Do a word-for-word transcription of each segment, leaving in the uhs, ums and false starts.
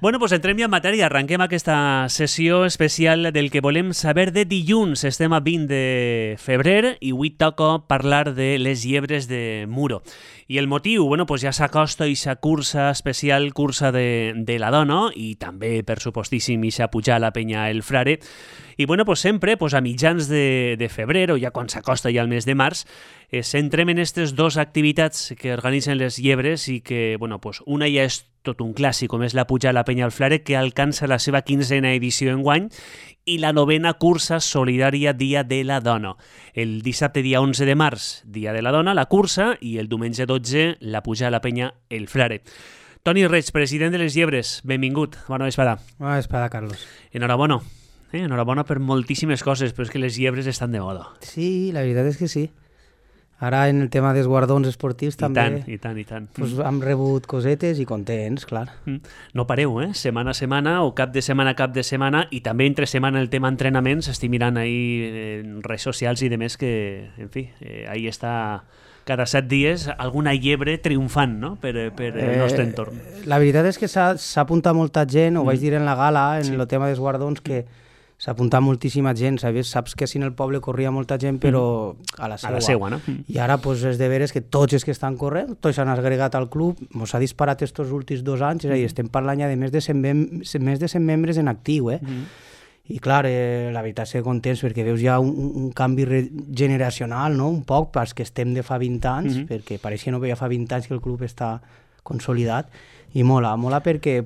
Bueno, doncs entrem ja en matèria. Arrenquem aquesta sessió especial del que volem saber de dilluns. Estem a vint de febrer i avui toca parlar de les llebres de Muro. I el motiu, bueno, pues ja s'acosta aquesta cursa especial, cursa de, de la dona, i també, per supostíssim, ixa pujar a la penya El Frare. I bueno, pues sempre, pues a mitjans de, de febrer, o ja quan s'acosta ja el mes de març, eh, centrem en aquestes dues activitats que organitzen les llebres i que, bueno, pues una ja és tot un clàssic, com és la pujar a la penya El Frare, que alcança la seva quinzena edició enguany, i la novena cursa solidària Dia de la Dona. El dissabte dia onze de març, Dia de la Dona, la cursa, i el diumenge dotze, la pujar a la penya El Frare. Toni Reig, president de les Llebres, benvingut. Bona vesprada. Bona vesprada, Carlos. Enhorabona. Eh? Enhorabona per moltíssimes coses, però és que les llebres estan de moda. Sí, la veritat és que sí. Ara en el tema dels guardons esportius I també tant, i tant, i tant. pues, hem rebut cosetes i contents, clar. No pareu, eh? Setmana a setmana o cap de setmana a cap de setmana, i també entre setmana el tema entrenaments. Estic mirant ahí en redes socials i demés que, en fi, eh, ahí està cada set dies alguna llebre triomfant, no?, per, per el nostre entorn. Eh, la veritat és que s'ha apuntat molta gent, ho mm. vaig dir en la gala, en sí. el tema dels guardons, que s'ha apuntat moltíssima gent, saps? Saps que si en el poble corria molta gent, però a la seua. A la seua, no? I ara pues, és de veres que tots els que estan corrent, tots s'han agregat al club, ens ha disparat estos últims dos anys, és a dir, estem parlant ja de més de cent, més de cent membres en actiu, eh? Mm. I clar, eh, la veritat és que contents perquè veus ja un, un canvi generacional, no?, un poc, pels que estem de fa vint anys, mm-hmm. perquè pareix que no veia fa vint anys que el club està consolidat, i mola, mola perquè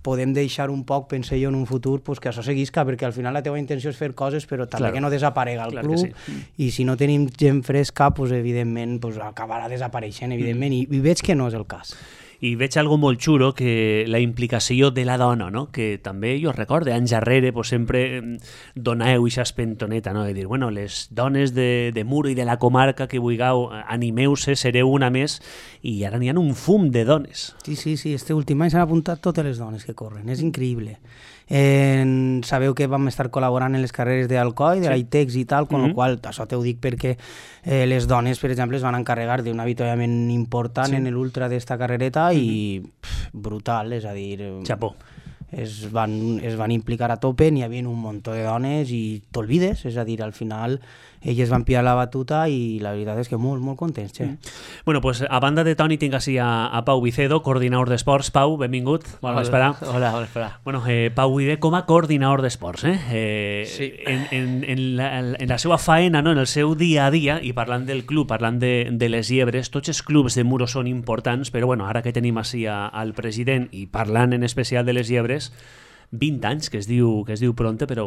podem deixar un poc, pense jo, en un futur, pues, que això seguisca, perquè al final la teva intenció és fer coses, però també claro. que no desaparega el club, sí. i si no tenim gent fresca, pues, evidentment pues, acabarà desapareixent, evidentment, mm. i, i veig que no és el cas. I veig algo molt xulo, que la implicació de la dona, no?, que també jo recordo, anys darrere, pues, sempre doneu aquesta espentoneta, no?, de dir, bueno, les dones de, de Muro i de la comarca que vulgueu, animeu-se, sereu una més, i ara n'hi ha un fum de dones. Sí, sí, sí, este últim any s'han apuntat totes les dones que corren, és increïble. Eh, sabeu que vam estar col·laborant en les carreres d'Alcoi, de sí. l'Aitex i tal, con mm-hmm. lo qual, això t'ho dic perquè eh, les dones, per exemple, es van encarregar d'un avituallament important sí. en l'ultra d'esta carrereta mm-hmm. i pff, brutal, és a dir... Xapó. Es van, es van implicar a tope, n'hi havia un munt de dones i t'olvides, és a dir, al final elles van pillar la batuta i la veritat és que molt, molt contents, che. Mm. Bueno, pues a banda de Toni tinc així a, a Pau Vicedo, coordinador d'esports. Pau, benvingut. Bona vesprada. Hola, bona vesprada. Bueno, eh, Pau Vive com a coordinador d'esports, eh? eh sí. En, en, en, la, en la seva faena, no?, en el seu dia a dia, i parlant del club, parlant de, de les Llebres, tots els clubs de Muro són importants, però bueno, ara que tenim així a, al president i parlant en especial de les Llebres, vint anys, que es diu que es diu pronte, però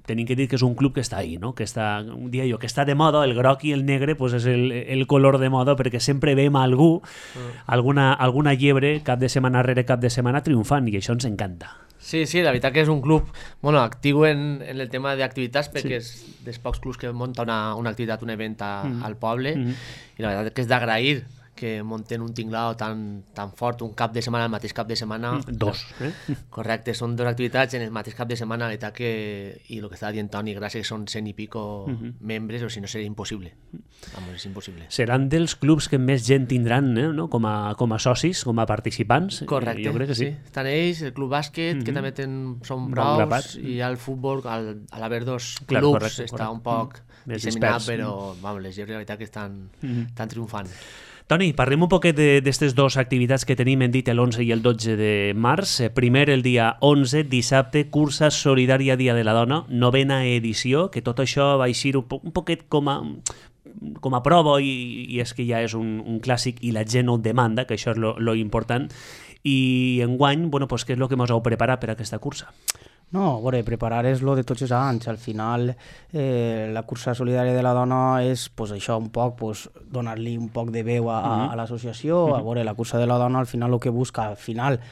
tenim que dir que és un club que està ahí, no?, que està, un dia jo, que està de moda, el groc i el negre pues és el, el color de moda, perquè sempre veiem a algú, mm. alguna, alguna llebre, cap de setmana rere cap de setmana, triomfant, i això ens encanta. Sí, sí, la veritat que és un club bueno, actiu en, en el tema d'activitats, perquè sí. és dels pocs clubs que munta una, una activitat, un event a, mm. al poble, mm. i la veritat que és d'agrair que munten un tinglao tan, tan fort, un cap de setmana, el mateix cap de setmana. Dos. Eh? Correcte, són dues activitats en el mateix cap de setmana, la que, i el que estava dient Toni, gràcies que són cent i pico uh-huh. membres, o si no seria impossible. Vamos, és impossible. Seran dels clubs que més gent tindran, eh? no? com, a, com a socis, com a participants. Correcte, jo crec que sí. sí. Estan ells, el club bàsquet, uh-huh. que també ten, són braus, i el futbol, al, a l'haver dos clubs, clar, correcte, està correcte. un poc uh-huh. disseminat, però vamos, les llebres, la veritat que estan, uh-huh. estan triomfant. Toni, parlem un poquet d'aquestes dues activitats que tenim, hem dit l'onze i el dotze de març. Primer, el dia onze, dissabte, cursa solidària Dia de la Dona, novena edició, que tot això va eixir un, po un poquet com a, com a prova, i, i és que ja és un, un clàssic i la gent ho demanda, que això és lo, lo important. I enguany, bueno, pues, què és el que ens heu preparat per a aquesta cursa? No, a veure, preparar és lo de tots els anys. Al final, eh, la cursa solidària de la dona és pues, això, un poc, pues, donar-li un poc de veu a, a, a l'associació. Uh-huh. A veure, la cursa de la dona al final el que busca al final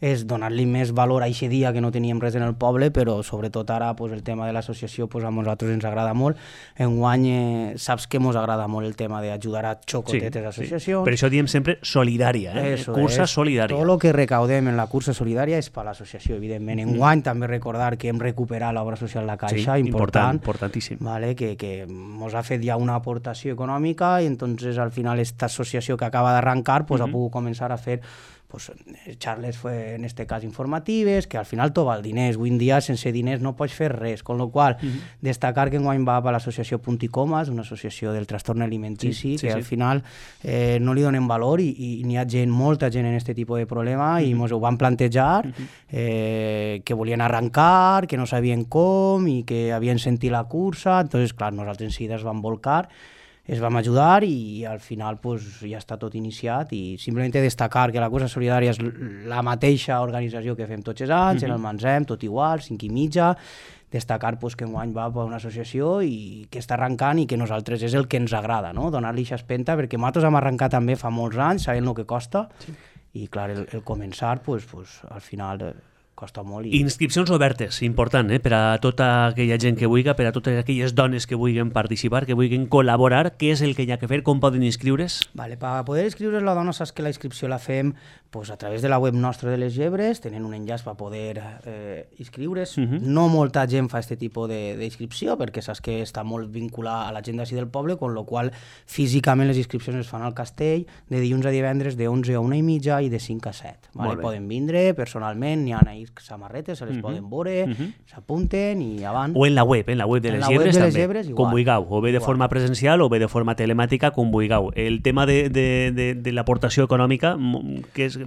és donar-li més valor a aquest dia que no teníem res en el poble, però sobretot ara pues, el tema de l'associació pues, a nosaltres ens agrada molt. Enguany eh, saps que ens agrada molt el tema d'ajudar a xocotetes sí, associacions. Sí. Per això diem sempre solidària, eh? Eso cursa és, solidària. Tot el que recaudem en la cursa solidària és per l'associació, evidentment. Enguany mm. també recordar que hem recuperat l'obra social La Caixa, sí, important, important, importantíssim. Vale, que, que ens ha fet ja una aportació econòmica i entonces al final esta associació que acaba d'arrencar pues, mm-hmm. ha pogut començar a fer pues, xarles fue, en este cas informatives, que al final tot val diners. Avui en dia sense diners no pots fer res, con lo qual uh -huh. destacar que enguany va a l'associació Punt i Comes, una associació del trastorn alimentici, sí, sí, que sí. al final eh, no li donen valor i, i n'hi ha gent, molta gent en aquest tipus de problema uh -huh. i ens ho van plantejar, uh -huh. eh, que volien arrencar, que no sabien com i que havien sentit la cursa. Entonces, clar, nosaltres en seguida es vam volcar, es vam ajudar i al final pues, ja està tot iniciat i simplement destacar que la cursa solidària és la mateixa organització que fem tots els anys, uh -huh. en el Mansem, tot igual, cinc i mitja, destacar pues, que enguany va per una associació i que està arrencant i que nosaltres és el que ens agrada, no? Donar-li aquesta espenta, perquè nosaltres hem arrencat també fa molts anys, sabent el que costa, sí. i clar, el, el començar pues, pues, al final... Eh, costa molt. I... Inscripcions obertes, important, eh? Per a tota aquella gent que vulgui, per a totes aquelles dones que vulguin participar, que vulguin col·laborar. Què és el que hi ha que fer? Com poden inscriure's? Vale, per poder inscriure's la dona saps que la inscripció la fem pues, a través de la web nostra de les Llebres, tenen un enllaç per poder eh, inscriure's. Uh-huh. No molta gent fa aquest tipus d'inscripció perquè saps que està molt vinculada a la gent d'ací del poble, con lo qual físicament les inscripcions es fan al castell de dilluns a divendres de onze a una i mitja i de cinc a set. Vale? Poden vindre personalment, n'hi ha ahí samarretes, se les uh -huh. poden veure, uh -huh. s'apunten i avant. O en la web, en la web de les Llebres també, Llebres, com vulgueu, o bé de igual. forma presencial o bé de forma telemàtica, com vulgueu. El tema de, de, de, de l'aportació econòmica, que és...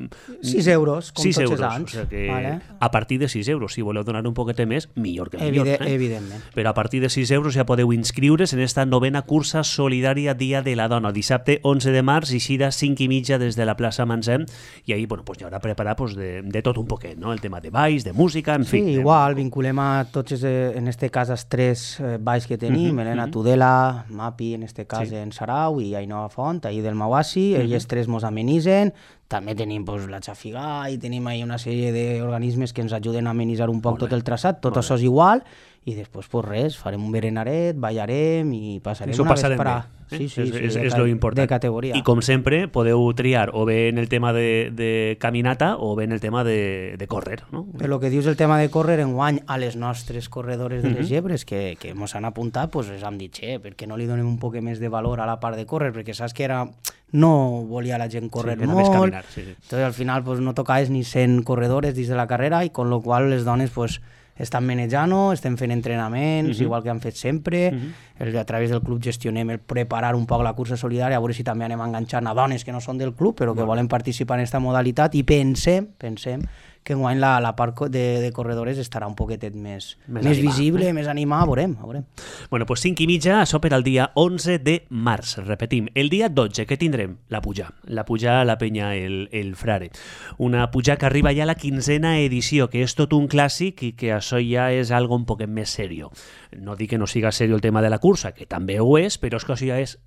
sis euros, com sis tots euros, els anys. O sigui que vale. A partir de sis euros, si voleu donar un poquet més, millor que millor. Evide eh? Evidentment. Però a partir de sis euros ja podeu inscriure's en esta novena cursa solidària Dia de la Dona, dissabte onze de març, eixida cinc i mitja des de la plaça Mansem, i ahí bueno, pues, hi haurà preparat pues, de, de tot un poquet, no? El tema de balls, de música, en fi. Sí, igual, vinculem a tots, en este cas, els tres eh, balls que tenim, uh -huh, Helena uh -huh. Tudela, Mapi, en este cas, sí. en Sarau, i Ainhoa Font, ahir del Mauassi, uh -huh. ells tres mos amenitzen. També tenim pues, la Xafigà i tenim ahí una sèrie d'organismes que ens ajuden a amenitzar un poc tot el traçat, tot això és igual, i després pues res, farem un berenaret, ballarem i passarem Això una vesprà. Eh? Sí, sí, és, sí, és, de, és lo important. De categoria. I com sempre podeu triar o bé en el tema de, de caminata o bé en el tema de, de córrer. No? Per lo que dius el tema de córrer, enguany a les nostres corredores de les uh-huh. Llebres que, que mos han apuntat, pues els hem dit, eh, perquè no li donem un poc més de valor a la part de córrer, perquè saps que era... no volia la gent córrer sí, molt, caminar, sí, sí. Entonces al final pues, no tocaves ni cent corredores dins de la carrera i con lo qual les dones pues, estan manejant, estem fent entrenaments, uh-huh. igual que han fet sempre, uh-huh. el, a través del club gestionem el preparar un poc la cursa solidària, a veure si també anem enganxant a dones que no són del club però que bueno. volen participar en aquesta modalitat i pensem, pensem que enguany la, la part de, de corredores estarà un poquetet més, més, més visible, eh? més animada, veurem, veurem. Bueno, pues cinc i mitja, això per al dia onze de març, repetim. El dia dotze, què tindrem? La puja. La puja a la penya el, el Frare. Una puja que arriba ja a la quinzena edició, que és tot un clàssic i que això ja és algo un poquet més serio. No dic que no siga serio el tema de la cursa, que també ho és, però és que això ja és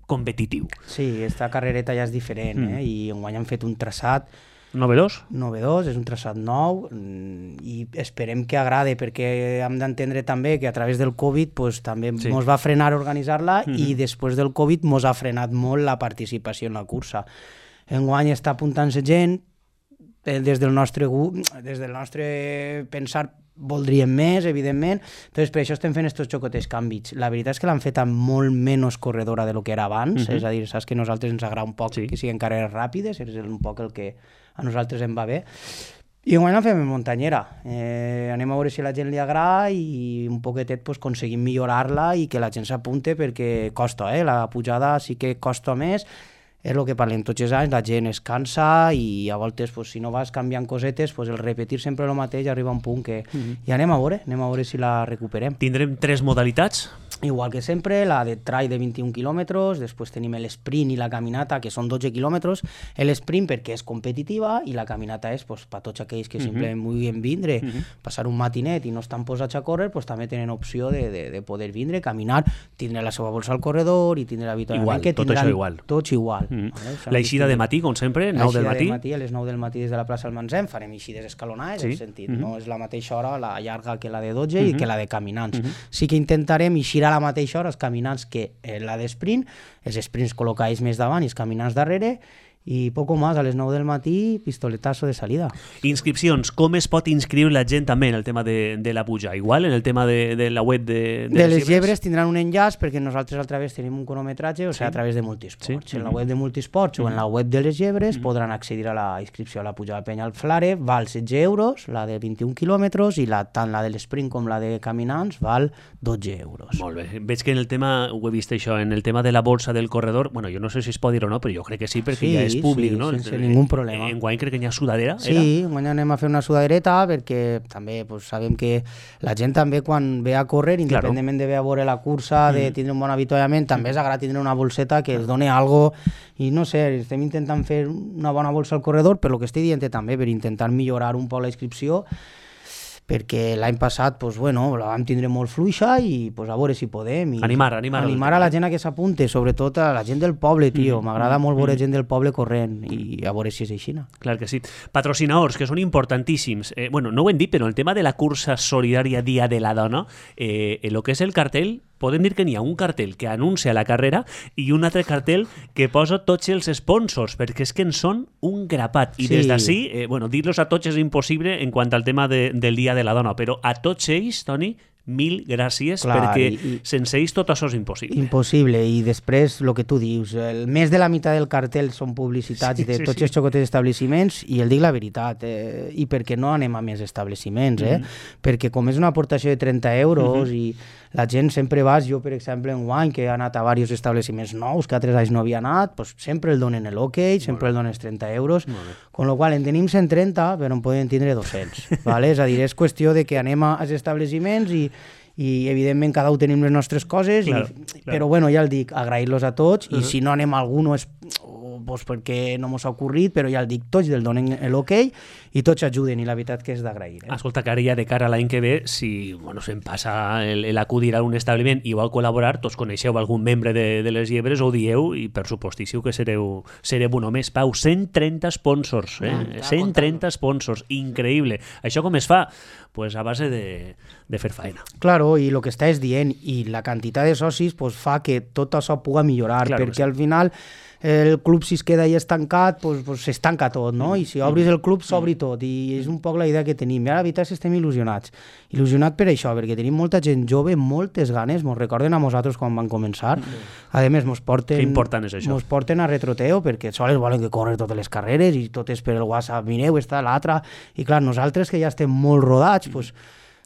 competitiu. Sí, esta carrereta ja és diferent, mm. eh? I enguany han fet un traçat Novedós? Novedós, és un traçat nou i esperem que agrade perquè hem d'entendre també que a través del Covid pues, també sí. mos va frenar organitzar-la mm-hmm. i després del Covid mos ha frenat molt la participació en la cursa. Enguany està apuntant-se gent, des del nostre des del nostre pensar voldríem més, evidentment, entonces per això estem fent estos xocotes canvis. La veritat és que l'han fet amb molt menys corredora de lo que era abans, uh-huh. és a dir, saps que a nosaltres ens agrada un poc sí. que siguin carreres ràpides, és un poc el que a nosaltres em va bé. I enguany la fem en muntanyera. Eh, anem a veure si a la gent li agrada i un poquetet pues, aconseguim millorar-la i que la gent s'apunte perquè costa, eh? La pujada sí que costa més. És el que parlem tots els anys, la gent es cansa i a voltes, pues, si no vas canviant cosetes, pues, el repetir sempre el mateix arriba a un punt que... Uh-huh. I anem a veure, anem a veure si la recuperem. Tindrem tres modalitats? Igual que sempre, la de trail de vint-i-un quilòmetres, després tenim l'esprint i la caminata, que són dotze quilòmetres, l'esprint perquè és competitiva i la caminata és pues, per tots aquells que uh-huh. simplement vulguin vindre, uh-huh. passar un matinet i no estan posats a córrer, pues, també tenen opció de, de, de poder vindre, caminar, tindre la seva bolsa al corredor i tindre l'habitualment que tindran tot igual. Tots igual. Mm. Vale? L'eixida de matí, com sempre, nou del matí. De matí, a les nou del matí des de la plaça del Mansem farem eixides escalonades, sí. en sentit, mm-hmm. no és la mateixa hora la llarga que la de dotze mm-hmm. i que la de caminants. Mm-hmm. Sí que intentarem eixir a la mateixa hora els caminants que la d'esprint, els sprints col·locats més davant i els caminants darrere, i poco más, a les nou del matí, pistoletazo de salida. Inscripcions, com es pot inscriure la gent també en el tema de, de la puja? Igual, en el tema de, de la web de, de, de les llebres? llebres tindran un enllaç perquè nosaltres al través tenim un cronometratge, o sigui, sí. a través de Multisports. Sí. En la web de Multisports mm. o en la web de les llebres mm. podran accedir a la inscripció a la puja de Penya al Flare, val setze euros, la de vint-i-un quilòmetres, i la, tant la de l'esprint com la de caminants val dotze euros. Molt bé. Veig que en el tema, ho he vist això, en el tema de la bolsa del corredor, bueno, jo no sé si es pot dir o no, però jo crec que sí, perquè sí, ja és públic, sí, no? Sense el, ningú problema. En guany crec que hi ha sudadera, sí, era? Sí, guany anem a fer una sudadereta perquè també pues, sabem que la gent també quan ve a córrer, independentment claro. de ve a veure la cursa, de tindre un bon avituallament, també és agrat tindre una bolseta que es doni algo i no sé, estem intentant fer una bona bolsa al corredor, per lo que estic dient també, per intentar millorar un poc la inscripció, perquè l'any passat pues, bueno, la vam tindre molt fluixa i pues, a veure si podem. I animar, animar. Animar a la gent a que s'apunte, sobretot a la gent del poble, tio. M'agrada mm, molt veure mm. gent del poble corrent i a veure si és així. Clar que sí. Patrocinadors, que són importantíssims. Eh, bueno, no ho hem dit, però el tema de la cursa solidària Dia de la Dona, eh, el que és el cartell, podem dir que n'hi ha un cartell que anuncia la carrera i un altre cartell que posa tots els sponsors, perquè és que en són un grapat. I sí. des d'ací, eh, bueno, dir-los a tots és impossible en quant al tema de, del Dia de la Dona, però a tots ells, Toni, mil gràcies, clar, perquè i, sense ells tot això és impossible. Impossible, i després el que tu dius, el més de la meitat del cartell són publicitats sí, de sí, tots sí. els xocotets d'establiments, i el dic la veritat, eh, i perquè no anem a més establiments, eh? Mm-hmm. Perquè com és una aportació de trenta euros mm-hmm. i la gent sempre vas, jo per exemple en guany que he anat a diversos establiments nous que altres anys no havia anat, pues sempre el donen l'ok, sempre el donen els trenta euros, con lo qual en tenim cent trenta però en poden tindre dos-cents, ¿vale? És a dir, és qüestió de que anem als establiments i i evidentment cada un tenim les nostres coses, claro, i, claro. però bueno, ja el dic, agrair-los a tots, uh-huh. i si no anem a algú no és pues perquè no mos ha ocorrit, però ja el dic, tots del donen l'ok i tots ajuden, i la veritat que és d'agrair. Eh? Escolta, que ara ja de cara a l'any que ve, si bueno, se'm passa l'acudir a un establiment i vol col·laborar, tots coneixeu algun membre de, de les llebres, ho dieu, i per supostíssiu que sereu, sereu un home. Pau, cent trenta sponsors, eh? Ah, cent trenta sponsors, increïble. Això com es fa? Pues a base de, de fer faena. Claro, i el que estàs dient, i la quantitat de socis pues, fa que tot això puga millorar, claro, perquè sí. al final el club si es queda ahí estancat, pues, pues s'estanca tot, no? I si obris el club s'obri tot, i és un poc la idea que tenim. I ara la veritat és que estem il·lusionats. Il·lusionats per això, perquè tenim molta gent jove, moltes ganes, mos recorden a nosaltres quan van començar. A més, mos porten, que important és això. Mos porten a retroteo, perquè sols volen que corre totes les carreres i tot és per el WhatsApp, mireu, està l'altra. I clar, nosaltres que ja estem molt rodats, pues,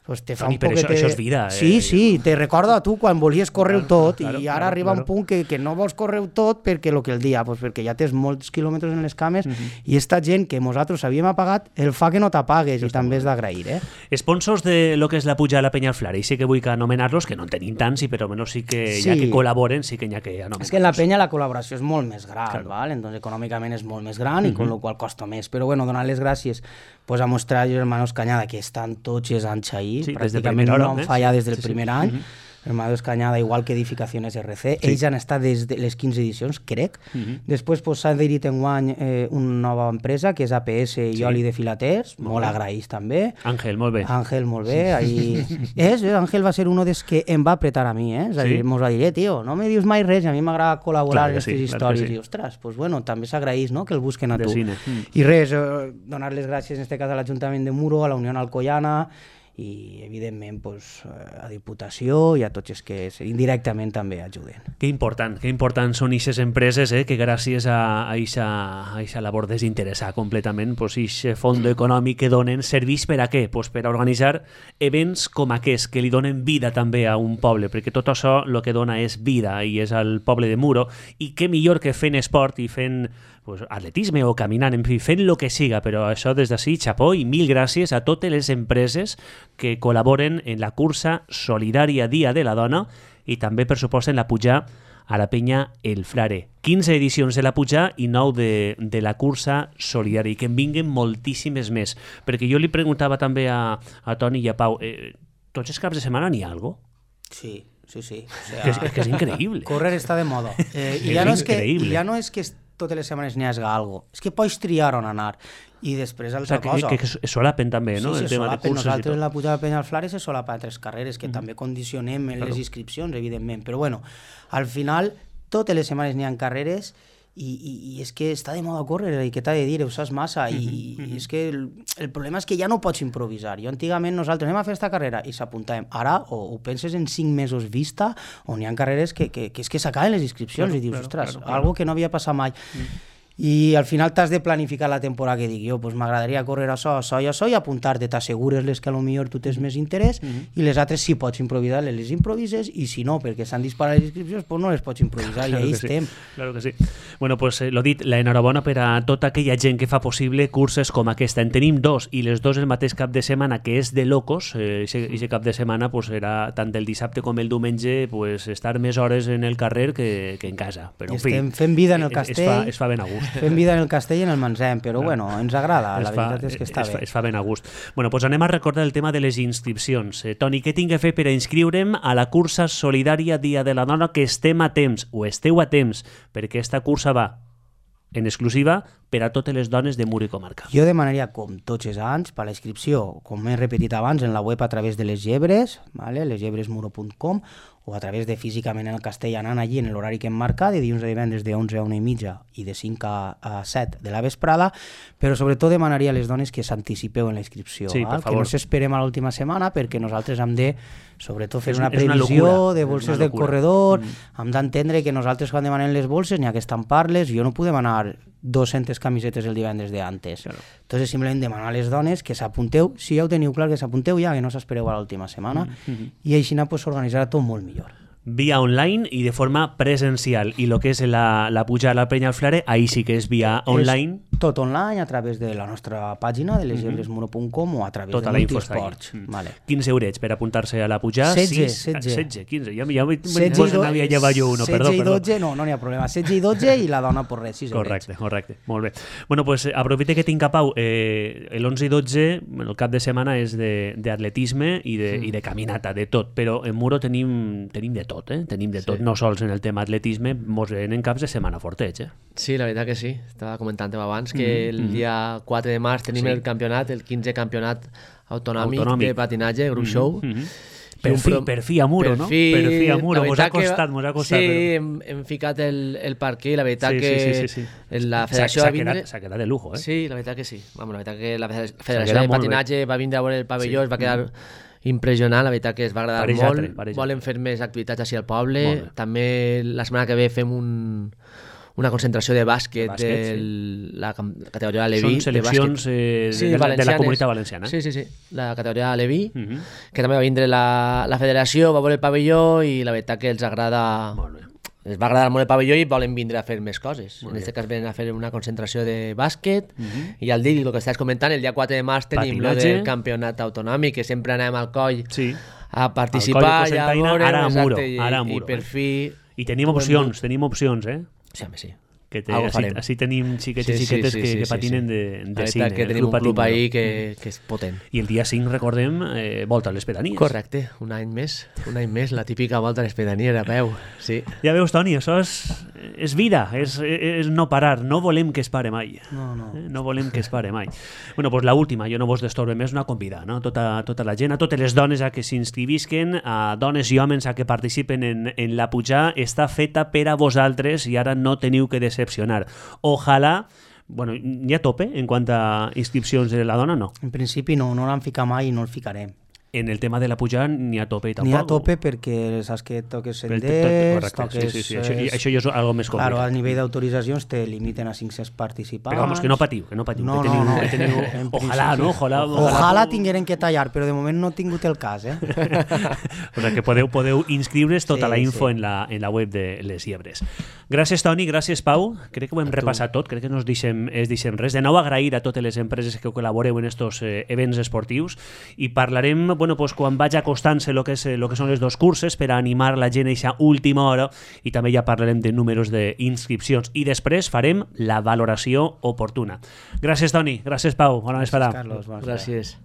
pues te fa Toni, un poc això, te... això és vida. Eh? Sí, sí, te recorda a tu quan volies córrer tot, claro, i ara claro, arriba claro. un punt que, que no vols córrer tot perquè el que el dia, pues perquè ja tens molts quilòmetres en les cames, uh-huh. i esta gent que nosaltres havíem apagat el fa que no t'apagues, i també és d'agrair. Eh? Sponsors de lo que és la puja a la Penya al Flare, i sí que vull que anomenar-los, que no en tenim tants, i però almenys sí que sí. ja que col·laboren, sí que hi ha que anomenar-los. És que en la Penya la col·laboració és molt més gran, claro. val? Entonces econòmicament és molt més gran, uh-huh. i con lo qual costa més. Però bueno, donar les gràcies pues, a mostrar els hermanos Cañada, que estan tots els anys ahí, sí, pràcticament no han fallat des del sí, primer sí. any. Uh-huh. Hermanos Cañada, igual que Edificaciones R C. Sí. Ells han estat des de les quinze edicions, crec. Uh-huh. Després pues, s'ha adherit en guany eh, una nova empresa, que és A P S i sí. Oli de Filaters, molt, molt agraïts també. Àngel, molt bé. Àngel, molt bé. Ahí... és, eh? Àngel va ser un dels que em va apretar a mi, eh? És a dir, sí? Mos va dir, eh, tio, no me dius mai res, a mi m'agrada col·laborar en aquestes sí, històries. Sí. I, ostres, pues, bueno, també s'agraïs, no?, que el busquen a tu. Mm. I res, eh, donar les gràcies, en este cas, a l'Ajuntament de Muro, a la Unió Alcoyana, i evidentment pues, a Diputació i a tots els que indirectament també ajuden. Que important, que important són aquestes empreses eh, que gràcies a aquesta labor desinteressada completament, pues, aquest fons econòmic que donen serveix per a què? Pues per a organitzar events com aquests que li donen vida també a un poble, perquè tot això el que dona és vida i és el poble de Muro, i què millor que fent esport i fent pues, atletisme o caminant, en fi, fent el que siga, però això des d'ací, xapó, i mil gràcies a totes les empreses que col·laboren en la cursa solidària Dia de la Dona i també, per supost, en la puja a la Penya el Flare. quinze edicions de la puja i nou de, de la cursa solidària, i que en vinguen moltíssimes més. Perquè jo li preguntava també a, a Toni i a Pau, eh, tots els caps de setmana n'hi ha alguna cosa? Sí, sí, sí. O sea, que, és, que és increïble. Correr està de moda. Eh, i ja no és que, ja no és que totes les setmanes n'hi hagi algo. És que pots triar on anar. I després altra o sigui, cosa. Que, que, que solapen també, no? Sí, sí, el tema solapen. de Nosaltres en la puja de Penya al Flare se solapen altres carreres, que mm. també condicionem en claro. les inscripcions, evidentment. Però bueno, al final, totes les setmanes n'hi ha carreres i, i, i és que està de moda córrer, i què t'ha de dir, ho saps massa, i, mm-hmm. i és que el, el problema és que ja no pots improvisar. Jo antigament nosaltres anem a fer esta carrera i s'apuntàvem. Ara o, o penses en cinc mesos vista, on hi ha carreres que, que, que és que s'acaben les inscripcions, claro, i dius, claro, ostres, claro, claro. algo que no havia passat mai. Mm. I al final t'has de planificar la temporada que dic jo, pues m'agradaria córrer això, això i això i apuntar-te, t'assegures les que a lo millor tu tens més interès mm-hmm. i les altres si pots improvisar les, les improvises i si no, perquè s'han disparat les inscripcions, pues no les pots improvisar claro i ahí estem. Sí. Claro que sí. Bueno, pues eh, lo dit, la enhorabona per a tota aquella gent que fa possible curses com aquesta. En tenim dos i les dos el mateix cap de setmana, que és de locos. Eh, Ixe cap de setmana pues, serà tant el dissabte com el diumenge pues, estar més hores en el carrer que, que en casa. Però, en fi, estem fent vida en el castell. Es, es, fa, es fa ben a gust. Fem vida en el castell i en el Mansem, però no. bueno, ens agrada, es la fa, veritat és que està es bé. Fa, es fa ben a gust. Bueno, doncs anem a recordar el tema de les inscripcions. Eh, Toni, què tinc que fer per a inscriure'm a la cursa solidària Dia de la Dona, que estem a temps, o esteu a temps, perquè aquesta cursa va en exclusiva per a totes les dones de Mur i comarca. Jo demanaria, com tots els anys, per la inscripció, com he repetit abans, en la web a través de les llebres, vale? les llebres muro punt com, o a través de físicament en el castell, anant allí en l'horari que hem marcat, de dilluns a divendres de onze a una i mitja i de cinc a set de la vesprada, però sobretot demanaria a les dones que s'anticipeu en la inscripció, sí, que no s'esperem a l'última setmana, perquè nosaltres hem de, sobretot, fer una previsió una de bolses del corredor, mm. hem d'entendre que nosaltres quan demanem les bolses n'hi ha que estampar-les, jo no podem anar dues-centes camisetes el divendres d'antes. Claro. Entonces, simplement demanar a les dones que s'apunteu, si ja ho teniu clar, que s'apunteu ja, que no s'espereu a l'última setmana, mm-hmm. i així pues, s'organitzarà tot molt millor. Via online i de forma presencial. I el que és la, la pujada a la Penya al Flare, ahí sí que és via online. És tot online, a través de la nostra pàgina de les llebres muro punt com o a través tota de Multisports. Mm. Vale. quinze eurets per apuntar-se a la pujada. setze, setze. setze, quinze. Ja, ja, ja n'havia llevat jo uno, perdó. setze i dotze, no, no n'hi ha problema. setze i dotze i la dona per res, sis eurets. Correcte, correcte. Molt bé. Bueno, pues aprofite que tinc a Pau. Eh, l'onze i dotze, el cap de setmana és d'atletisme i, de, sí. i de caminata, de tot. Però en Muro tenim, tenim de tot, eh? Tenim de tot. Sí. No sols en el tema atletisme, mos venen caps de setmana fortets, eh? Sí, la veritat que sí. Estava comentant abans que el dia quatre de març tenim sí. el campionat, el quinze campionat autonòmic, autonòmic. de patinatge, Group Show. Mm-hmm. Per fi, per fi a Muro, per no? Fi, per fi a Muro, mos ha costat, mos ha costat. Sí, però... hem, hem ficat el, el parquí, la veritat sí, que sí, sí, sí, sí. la federació va vindre... S'ha quedat de lujo, eh? Sí, la veritat que sí. Vamos, la veritat que la federació de patinatge bé. va vindre a veure el pavelló, sí. es va quedar impressionant, la veritat que es va agradar pareix molt. Altre, Volen fer més activitats així al poble. També la setmana que ve fem un... una concentració de bàsquet, de, bàsquet, de sí. la categoria Aleví. Són seleccions de, eh, de, sí, de, de la comunitat valenciana. Sí, sí, sí. La categoria Aleví, uh-huh. que també va vindre la, la federació, va veure el pavelló i la veritat que els agrada... Molt bé. Els va agradar molt el pavelló i volen vindre a fer més coses. Molt en aquest cas venen a fer una concentració de bàsquet uh-huh. i al dir, el que estàs comentant, el dia quatre de març tenim el del campionat autonòmic, que sempre anem al coll sí. a participar i a veure... Ara a Muro, i, ara a Muro. I per fi... I tenim opcions, tenim opcions, eh? Sí, home, sí. Que te, així, així tenim xiquets sí, i xiquetes sí, sí, que, sí, que patinen sí, sí. de, de cine. Que tenim un club ahí que, que és potent. I el dia cinc, recordem, eh, volta a les pedanies. Correcte, un any més, un any més, la típica volta a les pedanies a peu, sí. Ja veus, Toni, això és, és vida, és, és no parar, no volem que es pare mai. No, no. Eh? No volem que es pare mai. Bueno, doncs l'última, jo no vos destorbe més, una convida, no? Tota, tota la gent, a totes les dones a que s'inscrivisquen, a dones i homes a que participen en, en la pujada, està feta per a vosaltres i ara no teniu que decepcionar. Ojalà, bueno, hi ha tope en quant a inscripcions de la dona, no? En principi no, no l'han ficat mai i no el ficarem. En el tema de la pujada n'hi ha tope i tampoc. N'hi ha tope perquè saps que toques senders, toques... Sí, sí, sí. Això, això ja és algo més complicat. Claro, a nivell d'autoritzacions te limiten a cinc-cents participants. Però vamos, que no patiu, que no patiu. No, que teniu, no, no. Que teniu... Ojalà, no? Ojalà, ojalà, ojalà tingueren que tallar, però de moment no he tingut el cas, eh? O sigui que podeu, podeu inscriure's tota sí, la info sí. en, la, en la web de Les Llebres. Gràcies, Toni, gràcies, Pau. Crec que ho hem repassat tot, crec que no es deixem, es deixem res. De nou, agrair a totes les empreses que col·laboreu en estos eh, events esportius i parlarem, bueno, pues, quan vaig acostant-se el que, és, lo que són les dos curses per a animar la gent a aquesta última hora i també ja parlarem de números d'inscripcions i després farem la valoració oportuna. Gràcies, Toni. Gràcies, Pau. Bona vesprada. Gràcies, Carlos. Gràcies.